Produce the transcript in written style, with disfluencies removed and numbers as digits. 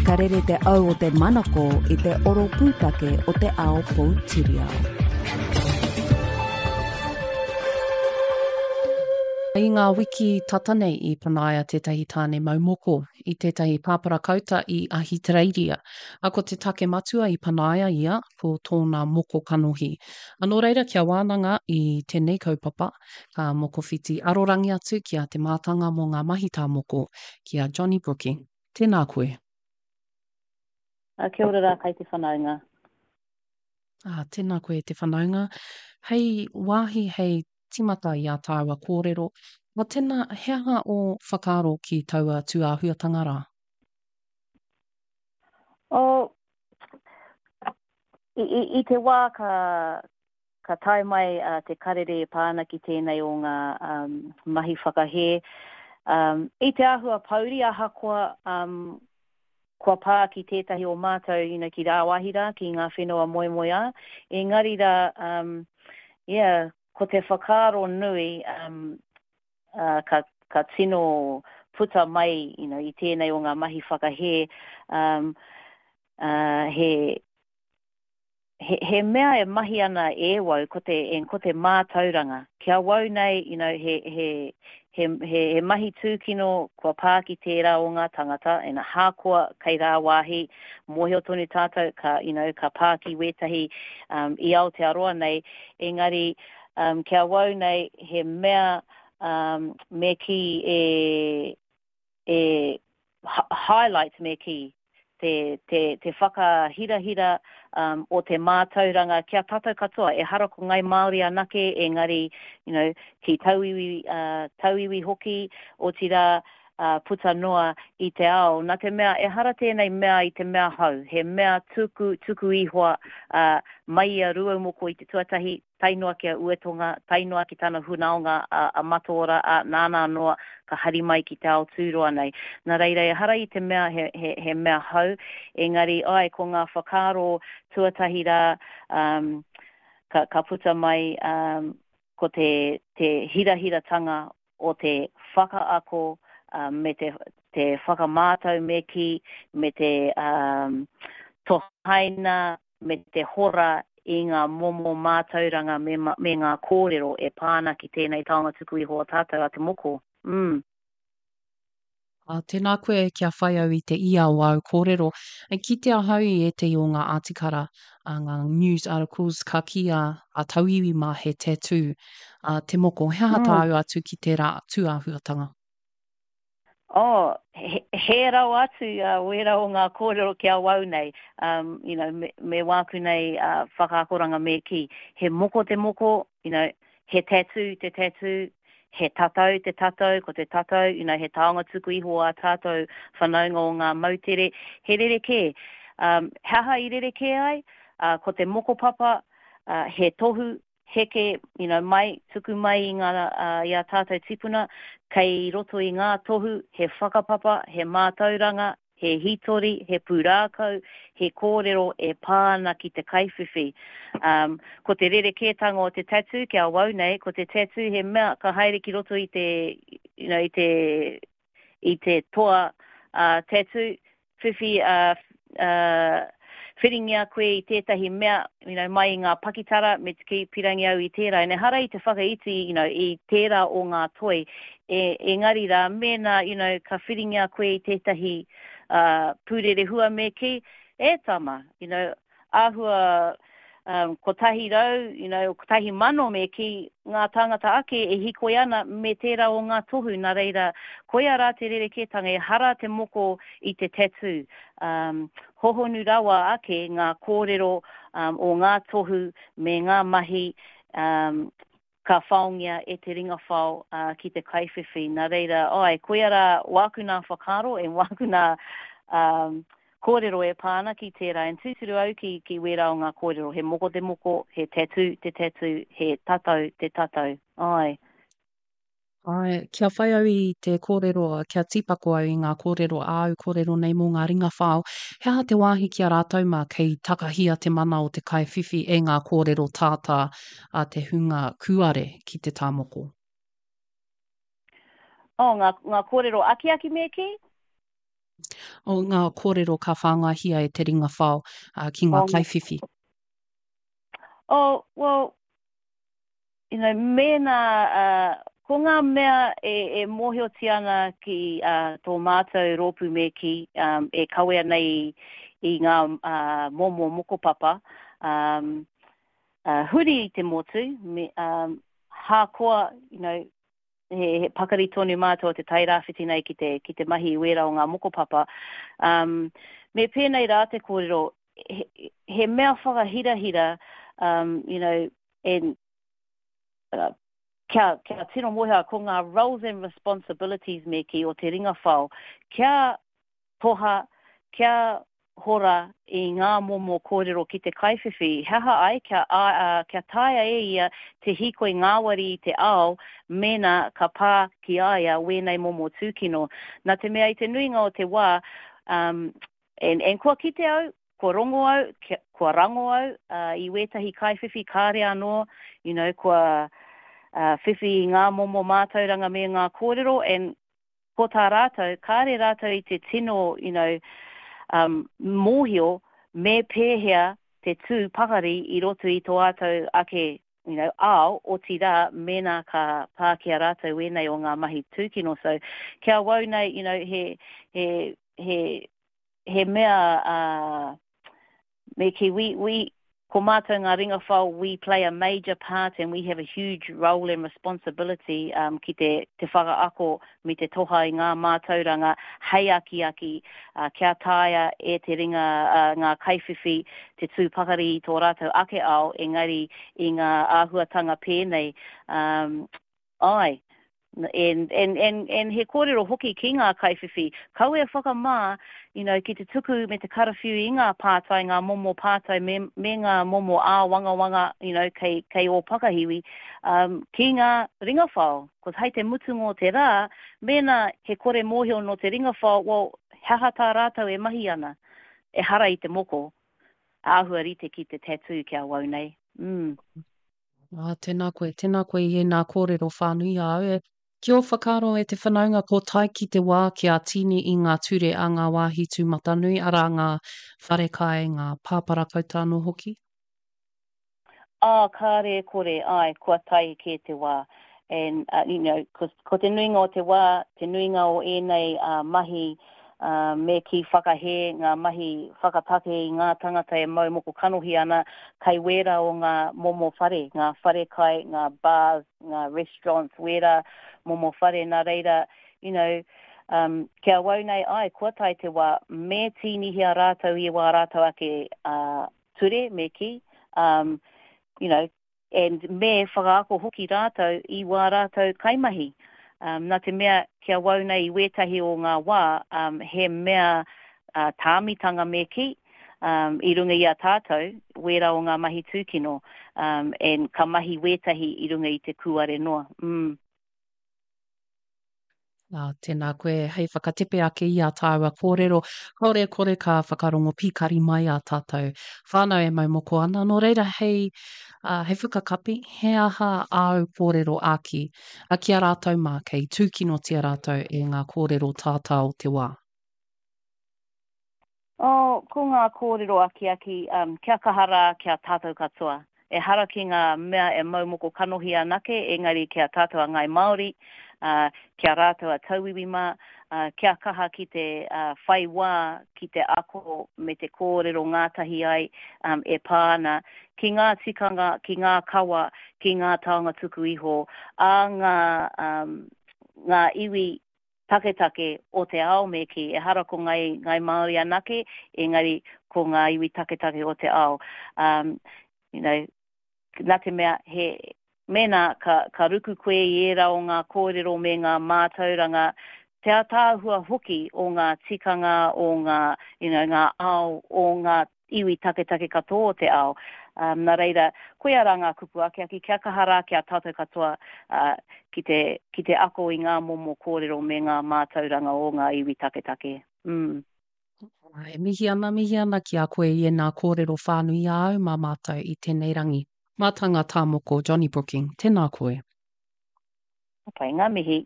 Ka rere te au o te manako i te oro pūtake o te ao poutiriao. I ngā wiki tata nei i panaia tētahi tāne mau moko i tētahi pāpara kauta i Ahitereiria. A ko te take matua i panaia ia ko tōna moko kanohi. A nō reira kia wānanga i tēnei kaupapa, ka mokowhiti arorangi atu ki a Te Mātanga mō ngā mahi tā moko, ki a Johnny Brooking. Tēnā koe. A, kia ora rā kai te whanaunga. A, tēnā koe te whanaunga. Hei wāhi hei timata i ā tāua kōrero, a tēnā, he aha ō whakaaro ki taua tūāhuatanga rā? Oh, i, i, i te wā ka, ka tae mai uh, te karere e pā ana ki tēnei o ngā um, mahi whakahē. Um, I te āhua pouri ahakoa um, kua pā ki tētahi o mātou you know, ki rāwāhi rā, ki ngā whenua moemoeā. Engari rā, um, yeah, ko te whakaaro nui um, uh, ka, ka tino puta mai you know, i tēnei o ngā mahi whakahē, um, uh, he, he, he mea e mahi ana e wau, ko te, and ko te mātauranga. Ki awau nei, you know, he, he, he, he, he mahi tūkino kua pā ki tērā o ngā tangata, and ahakoa kei rāwāhi, mōhio tonu tātou ka, you know, ka pā ki wētahi um, i Aotearoa nei, engari um, ki awau nei, he mea um, me kī e, e highlight me kī, te, te, te whakahirahira um, o te mātauranga ki a tātou katoa. Ehara ko Ngai Māori anake, engari, you know, ki tauiwi, uh, tauiwi hoki, otirā, uh, puta noa i te ao. Nā te mea, ehara tēnei mea i te mea hou, he mea tuku, tuku ihoa uh, mai i a Rūaumoko i te tuatahi, tae noa ki a Uetonga, tae noa ki tana hunaonga a, a Mataora, ā, nāna anō ka hari mai ki te ao tūroa nei. Nā reira, ehara i te mea he, he, he mea hou, engari, āe, ko ngā whakaaro tuatahi rā, um, ka, ka puta mai, um, ko te, te hirahiratanga o te whakaako um, me te, te whakamātau me kī, me te um, tohaina me te hora i ngā momo mātauranga me, me ngā kōrero e pā ana ki tēnei taonga tuku iho a tātou, a te moko. Mm. Ā, tēnā koe kia whai au i te ia o āu kōrero. I kite ahau i ētehi o ngā ātikara, ā, ngā news articles ka kī a, a tauiwi mā he tattoo, ā, te moko. He aha mm. tāu atu ki tērā tūāhuatanga? Oh, he, he rawa atu uh, wērā o ngā kōrero ki awau nei, um, you know, me, me wāku nei uh, whakaakoranga me kī. He moko te moko, you know, he tattoo te tattoo, he tatau te tatau, ko te tatau, you know, he taonga tuku iho ā tātou whanaunga o ngā moutere, he rerekē. Um, he aha i rerekē ai? Uh, ko te mokopapa, uh, he tohu, heke, you know, mai, tuku mai i ngā, uh, i ā tātou tipuna, kei roto i ngā tohu, he whakapapa, he mātauranga, he hītori, he pūrākau, he kōrero e pā ana ki te kaiwhiwhi. Um, ko te rerekētanga o te tattoo ki awau nei, ko te tattoo he mea ka haere ki roto i te, you know, i te, i te toa uh, tattoo, whiwhi, uh, uh, whiringia koe i tētahi mea, you know, mai i ngā pakitara, me te kī, pirangi au i tērā. And ehara i te whakaiti, you know, i tērā o ngā toi, e, engari rā, mēnā, you know, ka whiringia koe i tētahi uh, pūrerehua me kī, e tama, you know, āhua um, 100, you know, 1000 me kī, ngā tāngata ake e hikoi ana me tērā o ngā tohu, nā reira, koia rā te rerekētanga, ehara te moko i te tattoo. Um, hohonu rawa ake ngā kōrero um, o ngā tohu me ngā mahi um, ka whaongia e te ringa whao uh, ki te kaiwhiwhi. Nā reira, ai, koia rā wāku nā whakaaro e wāku nā um, kōrero e pā ana ki tērā. And tūturu au ki, ki wērā o ngā kōrero. He moko te moko, he tattoo te tattoo, he tatau te tatau. Ai. Āe, kia whai au i te kōrero, kia tīpako au i ngā kōrero, āu kōrero nei mō ngā ringa whao, he aha te wāhi ki a rātou mā kei takahia te mana o te kaiwhiwhi e ngā kōrero tātā a te hunga kūare ki te tā moko? Oh, ngā, ngā kōrero akiaki me kī? O ngā kōrero ka whāngaihia e te ringa whao ki ngā kaiwhiwhi. Oh, well, you know, mēnā, uh, ko ngā mea e, e mōhiotia ana ki uh, tō mātou rōpū me kī, um, e kawea nei i ngā uh, momo mokopapa, um, uh, huri i te motu, me, um, hākoa, you know, he, he pakari tonu mātou o te Tairāwhiti nei ki te, ki te mahi i wērā o ngā mokopapa. Um, me pēnei rā te kōrero, he, he mea whakahirahira, um, you know, and, uh, kia, kia tino mōhio ko ngā roles and responsibilities me kī o te ringa whao, kia toha, kia hora i ngā momo kōrero ki te kaiwhiwhi, he aha ai kia, ā, kia taea e ia te hīkoi ngāwari i te ao mēnā ka pā ki a ia wēnei momo tūkino. Nā te mea i te nuinga o te wā, um, and, and kua kite au, kua rongo au, kia, kua rango au uh, i wētahi kaiwhiwhi kāre anō, you know, kua uh, whiwhi i ngā momo mātauranga me ngā kōrero, and ko tā rātou, kāre rātou i te tino, you know, um, mōhio me pēhea te tū pakari i roto i tō rātou ake, you know, ao, otirā, mēnā ka pā ki a rātou wēnei o ngā mahi tūkino. So, ki awau nei, you know, he, he, he, he mea, uh, Me kī, we, we, ko mātou ngā ringa whao, we play a major part and we have a huge role and responsibility um, ki te, te whakaako me te toha i ngā mātauranga hei akiaki uh, kia taea e te ringa uh, ngā kaiwhiwhi te tū pakari i tō rātou ake ao, engari i ngā āhuatanga pēnei um, Āe. And, and, and, and he kōrero hoki ki ngā kaiwhiwhi, kaua e whakamā, you know, ki te tuku me te karawhiu i ngā pātai, ngā momo pātai me, me ngā momo āwangawanga, you know, kei, kei ō pakahiwi, um, ki ngā ringa whao. Cause hei te mutunga o te rā, mēnā he kore mōhio nō te ringa whao, well, he aha tā rātou e mahi ana? Ehara i te moko. Āhua rite ki te tattoo ki awau nei. Mm. Ā, tēnā koe, tēnā koe i ēnā kōrero whānui a au. Ki ō whakaaro e te whanaunga ko tae ki te wā kia tīni i ngā ture a ngā wāhi tūmatanui, arā ngā wharekai, ngā pāparakauta anō hoki? Ā, kāre e kore, āe, kua tae kē te wā. And, uh, you know, ko, ko te nuinga o te wā, te nuinga o ēnei uh, mahi ā, me kī whakahē ngā mahi whakatake i ngā tangata e mau moko kanohi ana kei wērā o ngā momo whare, ngā wharekai, ngā bars, ngā restaurants, wērā momo whare, nā reira, you know, um, ki awau nei, āe, kua tae te wā, me tīnihia rātou i wā rātou ake uh, ture, me kī, um, you know, And me whakaako hoki rātou i wā rātou kaimahi. Um, nā te mea, ki awau nei i wētahi o ngā wā, um, he mea uh, tāmitanga me kī, um, i runga i a tātou, wērā o ngā mahi tūkino, um, and ka mahi wētahi i runga i te kūare noa. Mm. Nā, tēnā koe hei whakatepe ake i ā tāua kōrero. Kāore e kore ka whakarongo pīkari mai ā tātou whānau e mau moko ana. Nō reira, hei, uh, hei whakakapi, he aha āu kōrero āki a ki a rātou mā kei tūkinotia rātou e ngā kōrero tātā o te wā? Oh, ko ngā kōrero akiaki, um, kia kaha rā ki a tātou katoa. Ehara ki ngā mea e mau moko kanohi anake, engari ki a tātou a Ngāi Māori, uh, ki a rātou a tauiwi mā, uh, kia kaha ki te uh, whai wā ki te ako me te kōrero ngātahi ai um, e pā ana ki ngā tikanga, ki ngā kawa, ki ngā taonga tuku iho a ngā, um, ngā iwi taketake o te ao me kī, ehara ko Ngai, Ngai Māori anake, engari ko ngā iwi taketake o te ao. Um, you know, nā te mea, he, mēnā ka, ka ruku koe i ērā o ngā kōrero me ngā mātauranga, te ātaahua hoki o ngā tikanga, o ngā, you know, ngā ao, o ngā iwi taketake katoa o te ao. Um, nā reira, koia rā ngā kupu akiaki, kia kaha rā ki a tātou katoa uh, ki, te, ki te ako i ngā momo kōrero me ngā mātauranga o ngā iwi taketake. Mm. E mihi ana, mihi ana ki a koe i ēnā kōrero whānui a au mā mātou i tēnei rangi. Mātanga tā moko Johnny Brooking, tēnā koe. Pai, ngā mihi.